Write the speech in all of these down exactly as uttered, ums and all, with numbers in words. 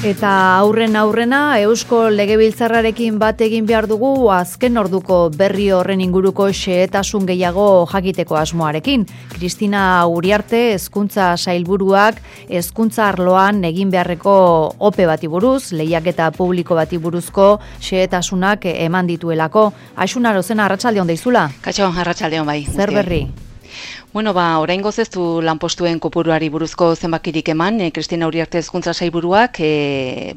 Eta aurren aurrena Eusko Legebiltzarrarekin bat egin behar dugu azken orduko berri horren inguruko xehetasun gehiago jakiteko asmoarekin. Kristina Uriarte hezkuntza sailburuak hezkuntza arloan egin beharreko ope bati buruz, lehiaketa publiko bati buruzko xehetasunak eman dituelako. Aixuna Rozena, arratsaldeon deizula? Kaixo, arratsaldeon bai. Zer berri? Bueno, ba, oraingoz ez du lanpostuen kopuruari buruzko zenbakirik eman, e, Kristina Uriarte hezkuntza sailburuak e,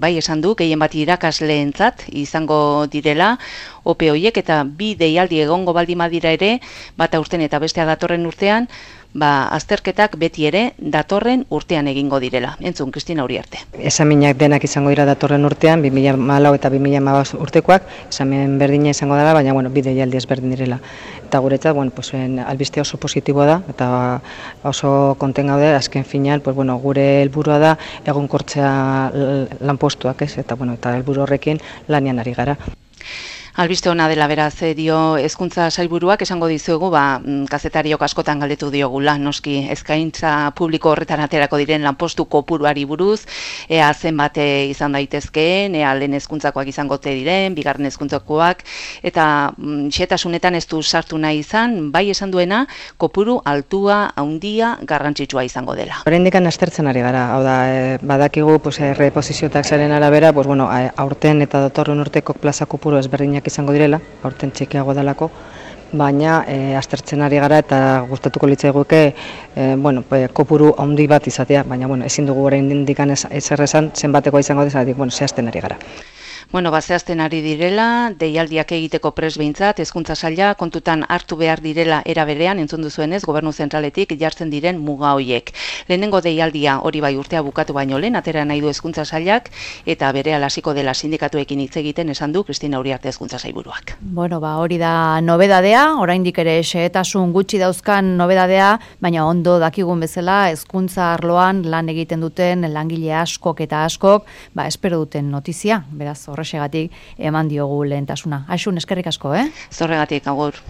bai esan du, gehien bat irakasleentzat izango direla, ope hoiek eta bi deialdi egongo baldin badira ere, bata urten eta bestea datorren urtean, ba, azterketak beti ere datorren urtean egingo direla. Entzun, Kristina Uriarte. Esaminak denak izango dira datorren urtean, bi mila hamalau eta bi mila hamabost urtekoak, esamen berdina izango dela, baina bueno, bi deialdi ezberdin direla. Eta guretzat, bueno, pues, albiste oso positiboa da, eta oso konten gaude, azken finean, pues, bueno, gure helburua da egonkortzea lanpostuak, ez? Eta bueno, eta helburu horrekin lanian ari gara. Albiste ona dela beraz dio hezkuntza sailburuak esango dizuegu, ba, kazetariok askotan galdetu diogula, noski eskaintza publiko horretan aterako diren lanpostu kopuruari buruz, ea zenbat izan daitezkeen, ea lehen hezkuntzakoak izango te diren, bigarren hezkuntzakoak, eta mm, xehetasunetan ez du sartu nahi izan, bai esan duena, kopuru altua, handia, garrantzitsua izango dela. Oraindik aztertzen ari gara, hau da, e, badakigu pues, reposizio taxaren arabera, pues, bueno, aurten eta datorren urteko plaza kopuru ezberdinak izango direla, aurten txikiago dalako, baina e, aztertzen ari gara eta gustatuko litzaiguke e, bueno, e, kopuru handi bat izatea, baina bueno, ezin dugu oraindik ezer esan zenbatekoa izango dezatik, bueno, zehazten ari gara. Bueno, bazehazten ari direla, deialdiak egiteko pres behintzat, hezkuntza saila kontutan hartu behar direla era berean, entzun duzuenez, gobernu zentraletik jartzen diren muga hoiek. Lehenengo deialdia hori bai urtea bukatu baino lehen, atera nahi du hezkuntza sailak, eta berehala hasiko dela sindikatuekin hitz egiten esan du Kristina Uriarte hezkuntza sailburuak. Bueno, ba, hori da nobedadea, oraindik ere xehetasun gutxi dauzkan nobedadea, baina ondo dakigun bezala hezkuntza arloan lan egiten duten langile askok eta askok, ba, espero duten notizia, beraz horrexegatik eman diogu lehentasuna. Aixun, eskerrik asko, eh? Zorregatik, agur.